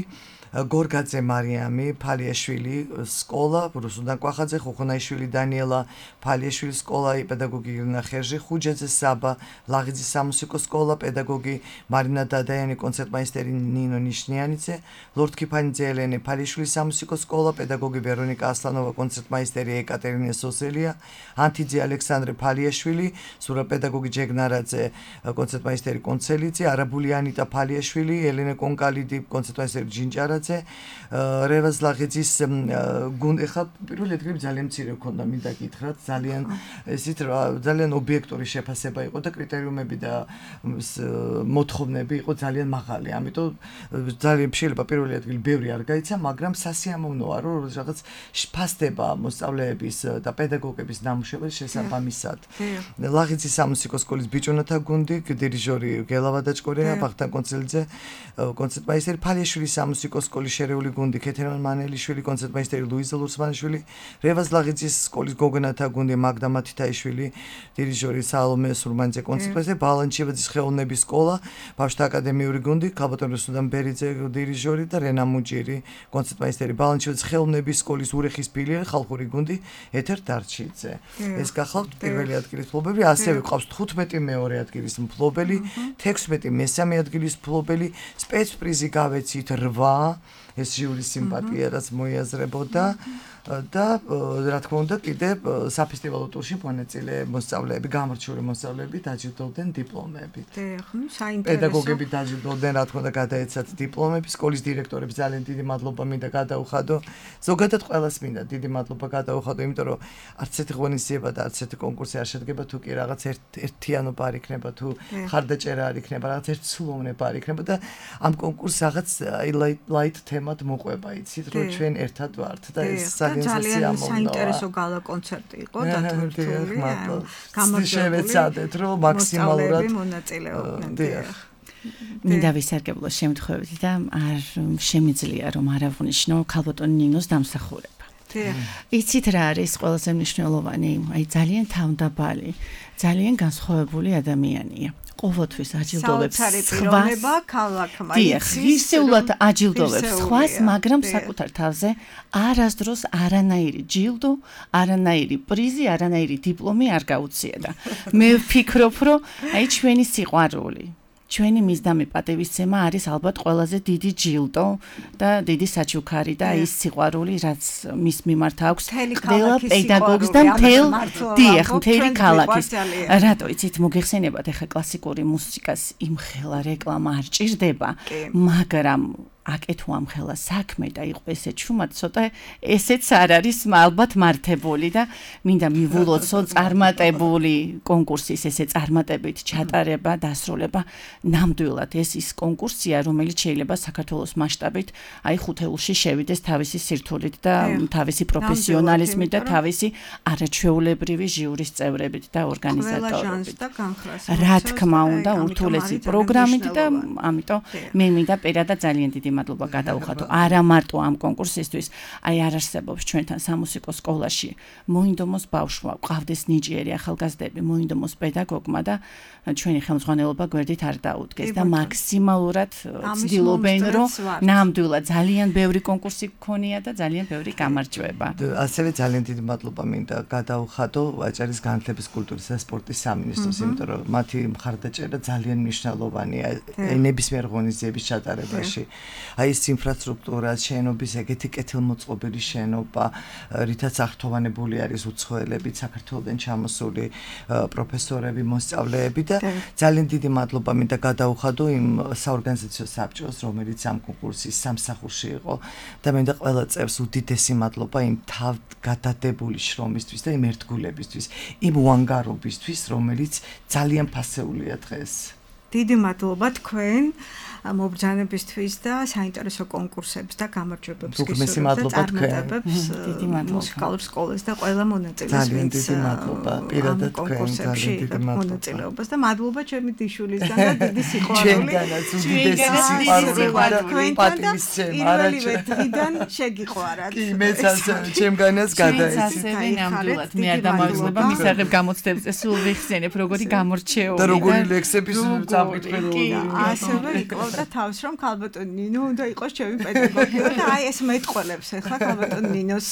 გორგაძე მარიამი ფალიაშვილი სკოლა რუსუდან კვახაძე ხუხუნაიშვილი დანიელა ფალიაშვილის სკოლა პედაგოგი ირინა ხერჟი ხუჯაძე საბა ლაღიძის სამუსიკო სკოლა პედაგოგი მარინა დადაიანი კონცერტმაისტერი ნინო ნიშნიანიძე ლორდ-კიფანიძე ელენე ფალიაშვილის სამუსიკო სკოლა პედაგოგი ვერონიკა ასლანოვა კონცერტმაისტერი ეკატერინე სოსელია ანთიძე ალექსანდრე ფალიაშვილი სურა პედაგოგი ჯეგნარაძე კონცერტმაისტერი კონცელიძე არაბული ანიტა ფალიაშვილი ელენე კონკალიდი კონცერტმაისტერი ჯინჯარა რევაზ ლაღიძის გუნდი ხა პირველი ადგილი ძალიან მცირე ქონდა მინდა გითხრათ ძალიან ესეთ ძალიან ობიექტური შეფასება იყო და კრიტერიუმები და მოთხოვნები იყო ძალიან მაღალი ამიტომ ძალიან შეიძლება პირველი ადგილი ბევრი არ გაიცა მაგრამ სასიამოვნოა რომ რაღაც ფასდება მოსწავლეების და პედაგოგების ნამუშევრების შესაბამისად ლაღიძის სამუსიკო სკოლის ბიჭუნათა გუნდი დირიჟორი გელა ვადაჭკორია ბახტან კონცელიძე კონცერტმაისტერი ფალიაშვილის სამუსიკო სკოლის შერეული გუნდი ქეთერან მანელიშვილი კონცერტმაისტერი ლუიზა ლურსმანიშვილი რევაზ ლაღიძის სკოლის გოგონათა გუნდი მაგდა მათითაიშვილი დირიჟორი სალომე სურმანიძე კონცერტმაისტერი ბალანჩევაძის ხელოვნების სკოლა ბავშვთა აკადემიური გუნდი ქალბატონი რუსუდან ბერიძე დირიჟორი და რენა მუჯირი კონცერტმაისტერი ბალანჩევაძის ხელოვნების სკოლის ურეხის ფილიალი ხალხური გუნდი ეთერ დარჩიძე ეს გახლავთ პირველი ადგილის მფლობელი ასევე ყავს თხუთმეტი მეორე ადგილის მფლობელი თექვსმეტი მესამე ადგილის მფლობელი სპეცპრიზი გავეცით რვა ეს ჟიურის სიმპათია რაც მოიაზრებოდა და რა თქმა უნდა კიდე საფესტივალო ტურში მონაწილე მოსწავლეები გამორჩეული მოსწავლეები დაჯილდოვდნენ დიპლომებით. დიახ, საინტერესო. პედაგოგები დაჯილდოვდნენ რა თქმა უნდა გადაეცათ დიპლომები, სკოლის დირექტორებს ძალიან დიდი მადლობა მინდა გადაუხადო. ზოგადად ყველას მინდა დიდი მადლობა გადაუხადო, იმიტომ რომ არც ერთი ღონისძიება და არც ერთი კონკურსი არ შედგება თუ კი რაღაც ერთიანობა არ იქნება თუ ხარდაჭერა არ იქნება, რაღაც ერთსულოვნება არ იქნება და ამ კონკურსს რაღაც ლაით თემად მოყვება, იცით, რომ ჩვენ ერთად ვართ და ეს ძალიან საინტერესო გალა კონცერტი იყო დათვალიერებული. გამარჯვებული რომ მაქსიმალურად მონაწილეობდნენ. მინდა ვისარგებლო შემთხვევით და არ შემიძლია რომ არ აღვნიშნო ქალბატონ ნინოს დამსახურება. იცით რა არის ყველაზე მნიშვნელოვანი? აი ძალიან თავდაბალი, ძალიან განსხვავებული ადამიანია. ყოველთვის აჯილდოვებს სხვას ქალაქმა ისეულად აჯილდოვებს სხვას მაგრამ საკუთარ თავზე არასდროს არანაირი ჯილდო არანაირი პრიზი არანაირი დიპლომი არ გაუწია და მე ვფიქრობ რომ აი ჩვენი სიყვარული ჩვენი მისდამი პატივისცემა არის ალბათ ყველაზე დიდი ჯილდო და დიდი საჩუქარი და ის სიყვარული, რაც მის მიმართ აქვს ყველა პედაგოგს და მთელ დიახ, მთელი ქალაქის. რატო იცით, მოგეხსენებათ, ეხლა კლასიკური მუსიკას იმხელა რეკლამა არ ჭირდება, მაგრამ აკეთო ამ ხელა საქმე და იყო ესე ჩუმად, ცოტა ესეც არ არის ალბათ მართებული და მინდა მივულოცო წარმატებული კონკურსის ესე წარმატებით ჩატარება, დასრულება. ნამდვილად ეს ის კონკურსია, რომელიც შეიძლება საქართველოს მასშტაბით აი ხუთეულში შევიდეს თავისი სირთულით და თავისი პროფესიონალიზმით და თავისი არაჩვეულებრივი ჟიურის წევრებით და ორგანიზატორებით. რა თქმა უნდა, ურთულესი პროგრამით და ამიტომ მე მინდა პირადად ძალიან დიდი მადლობა გადავუხადო არა მარტო ამ კონკურსისთვის, აი არ არსებობს ჩვენთან სამუსიკო სკოლაში მოინდომოს ბავშვმა, ყავდეს ნიჭიერი ახალგაზრდები, მოინდომოს პედაგოგმა და ჩვენი ხელმძღვანელობა გვერდით არ დაუდგეს და მაქსიმალურად ცდილობენ, რომ ნამდვილად ძალიან ბევრი კონკურსი გქონია და ძალიან ბევრი გამარჯვება. ასევე ძალიან დიდი მადლობა მინდა გადავუხადო ვაჭარის განათლების კულტურის და სპორტის სამინისტროს, იმიტომ რომ მათი მხარდაჭერა ძალიან მნიშვნელოვანია ნებისმიერ ღონისძიების ჩატარებაში. აი ეს ინფრასტრუქტურა, შენობის ეგეთი კეთილმოწყობილი შენობა, რითაც აღთოვანებული არის უცხოელებით, საქართველოსდან ჩამოსული პროფესორები, მოსწავლეები და ძალიან დიდი მადლობა მინდა გადავუხადო იმ საორგანიზაციო საბჭოს, რომელიც ამ კონკურსის სამსახურში იყო და მინდა ყველა წევრს უდიდესი მადლობა იმ თავგადადებული შრომისთვის და იმ ერთგულებისთვის, იმ უანგარობისთვის, რომელიც ძალიან ფასეულია დღეს. დიდი მადლობა თქვენ მობრძანებისთვის და საინტერესო კონკურსებს და გამარჯვებებს გისურვებთ და წარმატებებს მუსიკალურ სკოლას და ყველა მონაწილეს, ძალიან დიდი მადლობა პირადად კონკურსებში მონაწილეობას და მადლობა ჩემი დიშულისგან და დიდი სიყვარული ჩვენგანაც სიყვარული და პატივისცემა პირველივე დღიდან შეგიყვარათ. კი მეც ასე ჩემგანაც გადაიცით. ნამდვილად მე არ დამავიწყდება მისაღებ გამოცდებზე სულ ვიხსენებ როგორი გამორჩეული და როგორი ლექსების წამკითხე რო ასევე იკლავ და თავს რომ ქალბატონ ნინო უნდა იყოს ჩემი პედაგოგი და აი ეს მეტყველებს ახლა ქალბატონ ნინოს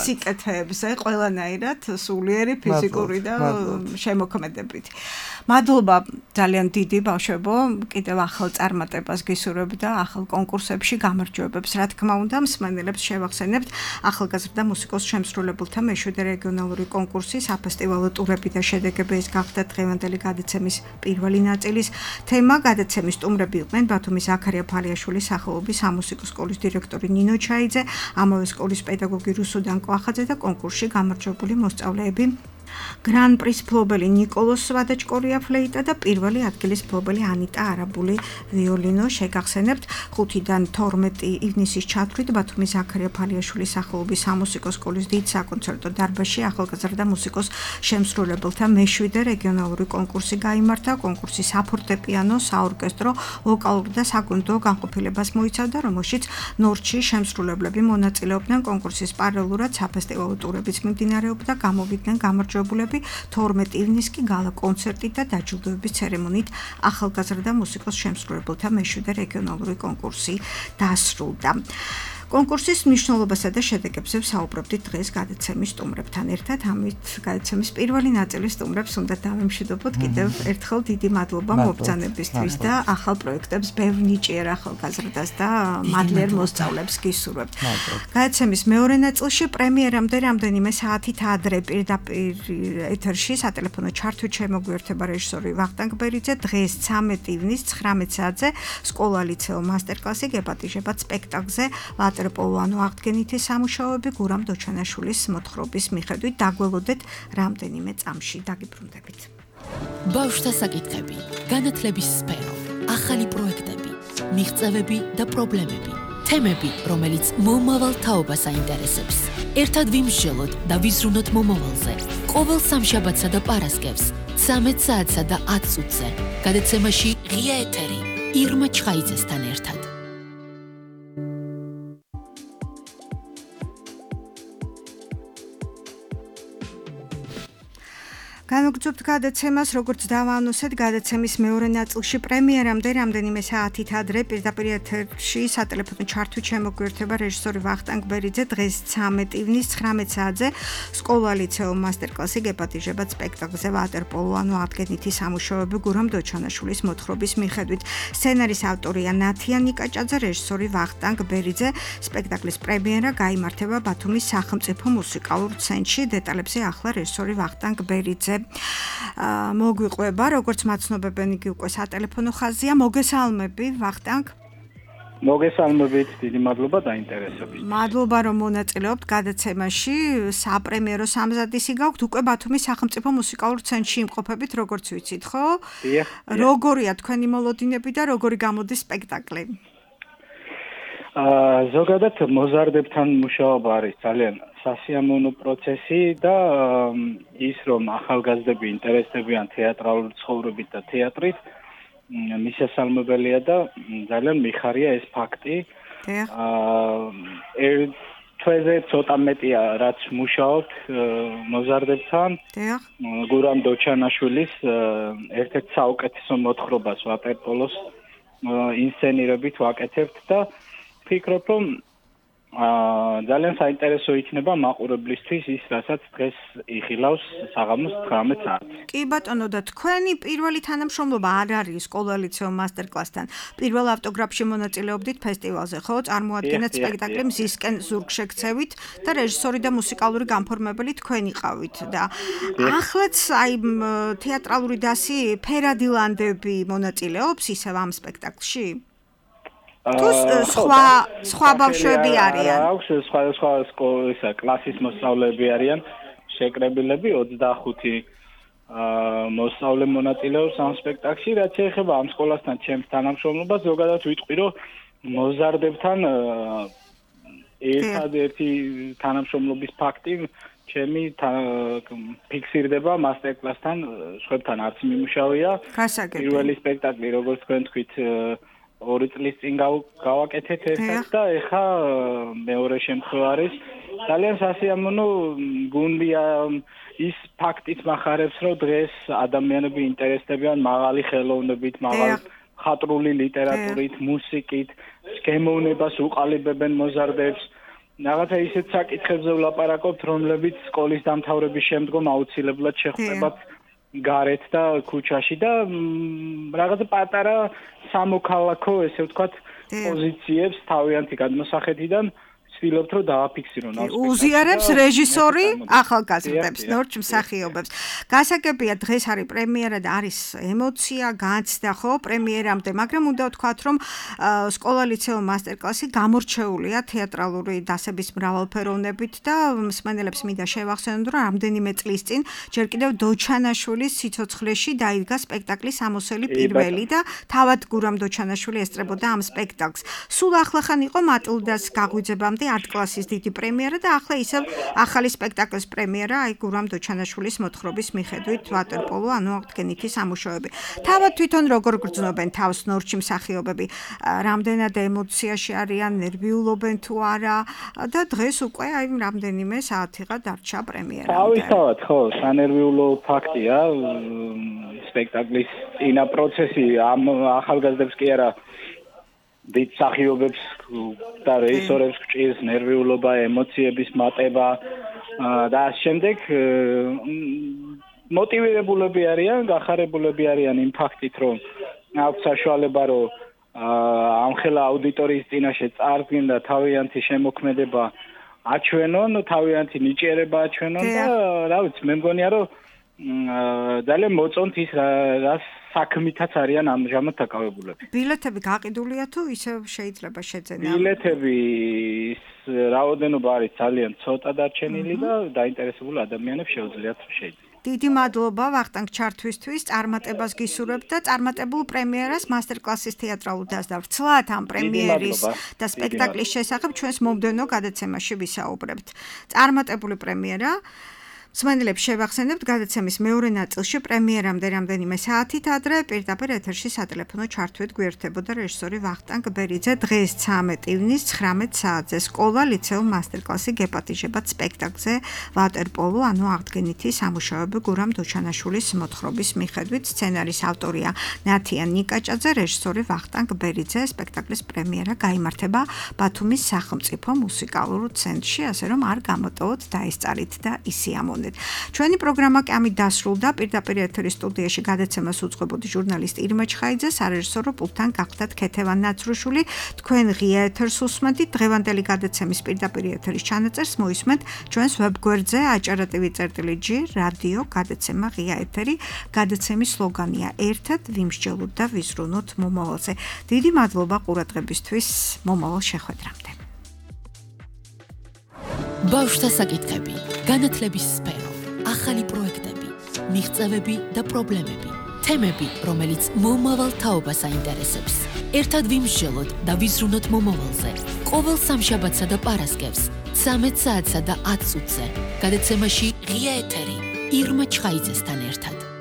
სიკეთეებზე ყველანაირად სულიერი ფიზიკური და შემოქმედებით. მადლობა ძალიან დიდი ბავშვებო, კიდევ ახალ წარმატებას გისურვებთ და ახალ კონკურსებში გამარჯვებებს. რა თქმა უნდა, მსმენელებს შევახსენებთ ახალგაზრდა მუსიკოს შემსრულებელთა მეშვიდე რეგიონალური კონკურსი, საფესტივალო ტურები და შედეგები ეს გახდა დღევანდელი გადაცემის პირველი ნაწილის თემა. გადაცემის სტუმრები იყვნენ ბათუმის ზაქარია ფალიაშვილის სახელობის სამუსიკო სკოლის დირექტორი ნინო ჩაიძე, ამავე სკოლის პედაგოგი რუსუდან კვახაძე და კონკურსში გამარჯვებული მოსწავლეები გრან პრის ფლობელი ნიკოლოს სვადაჭკორია ფლეიტა და პირველი ადგილის ფლობელი ანიტა არაბული ვიოლინო. შეგახსენებთ ხუთიდან თორმეტი ივნისის ჩათვლით ბათუმის ზაქარია ფალიაშვილის სახელობის სამუსიკო სკოლის დიდ საკონცერტო დარბაზში ახალგაზრდა მუსიკოს შემსრულებელთა მეშვიდე რეგიონალური კონკურსი გაიმართა. კონკურსი საფორტეპიანო, საორკესტრო, ვოკალური და საგუნდო განყოფილებას მოიცავდა, რომელშიც ნორჩი შემსრულებლები მონაწილეობდნენ. კონკურსის პარალელურად საფესტივალო ტურებიც მიმდინარეობდა, გამოვიდნენ გამარჯვებულები თორმეტი ივნისს კი გალა კონცერტით და დაჯილდოების ცერემონიით ახალგაზრდა მუსიკოს შემსრულებელთა მეშვიდე რეგიონალური კონკურსი დასრულდა. კონკურსის მნიშვნელობასა და შედეგებზე ვსაუბრობდით დღეს გადაცემის სტუმრებთან ერთად. ამით გადაცემის პირველი ნაწილის სტუმრებს უნდა დავემშვიდობოთ კიდევ ერთხელ დიდი მადლობა მობრძანებისთვის და ახალ პროექტებს ბევრ ნიჭიერ ახალგაზრდას და მადლიერ მოსწავლეებს გისურვებთ. გადაცემის მეორე ნაწილში პრემიერამდე რამდენიმე საათით ადრე პირდაპირ ეთერში სატელეფონო ჩართვით შემოგვიერთება რეჟისორი ვახტანგ ბერიძე. დღეს ცამეტი ივნისს ცხრამეტ საათზე სკოლა ლიცეო მასტერკლასი გეპატიჟებათ სპექტაკლზე ტროპოლანო აღდგენითი სამუშაოები გურამ დოჩანაშვილის მოთხრობის მიხედვით. დაგველოდეთ რამდენიმე წამში. დაგიბრუნდებით. ბავშვთა საკითხები, განათლების სფერო, ახალი პროექტები, მიღწევები და პრობლემები, თემები, რომელიც მომავალ თაობას აინტერესებს. ერთად ვიმსჯელოთ და ვიზრუნოთ მომავალზე. ყოველ სამშაბათსა და პარასკევს, ცამეტ საათსა და ათ წუთზე. გადაცემაში ღია ეთერი ირმა ჩხაიძესთან ერთად. განვგრძობთ გადაცემას, როგორც დავაანონსეთ, გადაცემის მეორე ნაწილში პრემიერამდე რამდენიმე საათით ადრე პირდაპირ ეთერში სატელეფონო ჩართვით შემოგვიერთება რეჟისორი ვახტანგ ბერიძე. დღეს ცამეტი ივნის ცხრამეტ საათზე სკოლა ლიცეუმ მასტერკლასი გეპატიჟებათ სპექტაკლზე ვატერპოლო, ანუ ადგენითი სამუშაოები გურამ დოჩანაშვილის მოთხრობის მიხედვით. სცენარის ავტორია ნათია ნიკაჭაძე, რეჟისორი ვახტანგ ბერიძე. სპექტაკლის პრემიერა გაიმართება ბათუმის სახელმწიფო მუსიკალურ ცენტრში. დეტალებზე ახლა რეჟისორი ვახტანგ ბერიძე მოგვიყვება, როგორც მაცნობებენ იგი უკვე სატელეფონო ხაზია. მოგესალმები ვახტანგ. მოგესალმებით, დიდი მადლობა დაინტერესებით. მადლობა რომ მონაწილეობთ გადაცემაში. საპრემიერო სამზადისი გაქვთ, უკვე ბათუმის სახელმწიფო მუსიკალურ ცენტრში იმყოფებით, როგორც ვიცით, ხო? დიახ. როგორია თქვენი მოლოდინები და როგორი გამოდის სპექტაკლი? აა ზოგადად მოზარდებთან მუშაობა არის ძალიან სასიამოვნო პროცესი და ის რომ ახალგაზრდები ინტერესდებიან თეატრალური ცხოვრებით და თეატრით მისასალმებელია და ძალიან მიხარია ეს ფაქტი. აა თვეზე ცოტა მეტია რაც მუშაობთ მოზარდებთან. გურამ დოჩანაშვილის ერთ-ერთ საუკეთესო მოთხრობას ვატერპოლოს ინსცენირებით ვაკეთებთ და ფიქრობ რომ აა ძალიან საინტერესო იქნება მაყურებლისთვის ის, რასაც დღეს იხილავს საღამოს ცხრამეტ საათზე. კი ბატონო, და თქვენი პირველი თანამშრომლობა არ არის სკოლა ლიცეუმ მასტერკლასთან. პირველ ავტოგრაფში მონაწილეობდით ფესტივალზე, ხო? წარმოადგენთ სპექტაკლი მზისკენ ზურგშექცევით და რეჟისორი და მუსიკალური განფორმებელი თქვენ იყავით და ახლაც აი თეატრალური დასი ფერადილანდები მონაწილეობს ისევ ამ სპექტაკლში? თუ სხვა სხვა ბავშვები არიან. აქვს სხვა სხვა სკოლის კლასის მოსწავლეები არიან, შეკრებილები ოცდახუთი აა მოსწავლე მონაწილეობს ამ სპექტაკლში, რაც ეხება ამ სკოლასთან ჩემს თანამშრომლობას, ზოგადად ვიტყვი, რომ მოზარდებთან ერთადერთი თანამშრომლობის ფაქტი ჩემი ფიქსირდება მასტერკლასთან, სხვებთან არც მიმუშავია. პირველი სპექტაკლი, როგორც თქვენ თქვით, ორი წლის წინ გავაკეთეთ ერთად და ეხა მეორე შემთხვევა არის. ძალიან სასიამოვნო გუნდია ის ფაქტით მახარებს, რომ დღეს ადამიანები ინტერესდებიან მაღალი ხელოვნებით, მაღალი ხატრული ლიტერატურით, მუსიკით, გემოვნებას უყალიბებენ მოზარდებს. რაღაცა ისეთ საკითხებზე ვლაპარაკობთ, რომლებიც სკოლის დამთავრების შემდგომ აუცილებლად შეხვდებათ გარეთ და ქუჩაში და რაღაცა პატარა სამოქალაქო, ესე ვთქვათ, პოზიციებს თავიანთი გადმოსახედიდან ვცდილობთ რომ დააფიქსირონ ამ სპექტაკლში. უზიარებს რეჟისორი ახალგაზრდებს, ნორჩ მსახიობებს. გასაგებია დღეს არის პრემიერა და არის ემოცია, განცდა ხო პრემიერამდე, მაგრამ უნდა ვთქვათ რომ სკოლა ლიცეუმ მასტერკლასი გამორჩეულია თეატრალური დასების მრავალფეროვნებით და მსმენელებს მინდა შევახსენოთ რომ რამდენიმე წლის წინ ჯერ კიდევ დოჩანაშვილის სიცოცხლეში დაიდგა სპექტაკლის ამოსელი პირველი და თავად გურამ დოჩანაშვილი ესწრებოდა ამ სპექტაკლს. სულ ახლახან იყო მატილდას გაღვიძებამდე ათ კლასის დიდი პრემიერა და ახლა ისევ ახალი სპექტაკლის პრემიერა, აი გურამ დოჩანაშვილის მოთხრობის მიხედვით ვატერპოლო, ანუ აღდგენითი სამუშაოები. თავად თვითონ როგორ გრძნობენ თავს ნორჩი მსახიობები? რამდენად ემოციაში არიან, ნერვიულობენ თუ არა და დღეს უკვე აი რამდენიმე საათიღა დარჩა პრემიერა. თავისთავად, ხო, სანერვიულო ფაქტია სპექტაკლის წინა პროცესი ამ ახალგაზრდებს კი არა დიდ მსახიობებს და რეჟისორებს გჭირს ნერვიულობა, ემოციების მატება და ამ შემდეგ მოტივირებულები არიან, გახარებულები არიან იმ ფაქტით, რომ აქვს საშუალება, რომ ამხელა აუდიტორიის წინაშე წარდგენ და თავიანთი შემოქმედება აჩვენონ, თავიანთი ნიჭიერება აჩვენონ და რა ვიცი, მე მგონია, რომ ძალიან მოწონთ ის რას საქმითაც არიან ამჟამად დაკავებულები. ბილეთები გაყიდულია თუ ისევ შეიძლება შეძენა? ბილეთები რაოდენობა არის ძალიან ცოტა დარჩენილი და დაინტერესებული ადამიანებს შეუძლიათ შეიძლება. დიდი მადლობა ვახტანგ ჩართვისთვის, წარმატებას გისურვებთ და წარმატებულ პრემიერას მასტერკლასის თეატრალურ დასდავრცლად ამ პრემიერის და სპექტაკლის შესახებ ჩვენს მომდევნო გადაცემაში ვისაუბრებთ. წარმატებული პრემიერა. მსმენელებს შევახსენებთ, გადაცემის მეორე ნაწილში პრემიერამდე რამდენიმე საათით ადრე პირდაპირ ეთერში სატელეფონო ჩართვით გვერდებოდა რეჟისორი ვახტანგ ბერიძე. დღეს ცამეტი ივნის ცხრამეტ საათზე სკოლა ლიცეუმ მასტერკლასი გეპატიჟებათ სპექტაკლზე ვატერპოლო, ანუ აღდგენითი სამუშაოები გურამ დოჩანაშვილის მოთხრობის მიხედვით. სცენარის ავტორია ნათია ნიკაჭაძე, რეჟისორი ვახტანგ ბერიძე. სპექტაკლის პრემიერა გაიმართება ბათუმის სახელმწიფო მუსიკალურ ცენტრში, ასე რომ არ გამოტოვოთ დაესწარით და ისიამონეთ. ჩვენი პროგრამა კი ამით დასრულდა. პირდაპირ ეთერის სტუდიაში გადაცემას უძღვებოდი ჟურნალისტი ირმა ჩხაიძე, სარეჟისორო პულტთან გახდათ ქეთევან ნაცრუშვილი. თქვენ ღია ეთერს უსმენთ. დღევანდელი გადაცემის პირდაპირ ეთერის ჩანაწერს მოისმენთ ჩვენს ვებგვერდზე aჭara.tv.gr რადიო გადაცემა ღია ეთერი. გადაცემის სლოგანია ერთად ვიმსჯელოთ და ვიზრუნოთ მომავალზე. დიდი მადლობა ყურადღებისთვის. მომავალ შეხვედრამდე. ბავშვთა საკითხები, განათლების სფერო, ახალი პროექტები, მიღწევები და პრობლემები, თემები, რომელიც მომავალ თაობას აინტერესებს. ერთად ვიმსჯელოთ და ვიზრუნოთ მომავალზე. ყოველ სამშაბათსა და პარასკევს, ცამეტ საათსა და ათ წუთზე. გადაცემაში ღია ეთერი ირმა ჩხაიძესთან ერთად.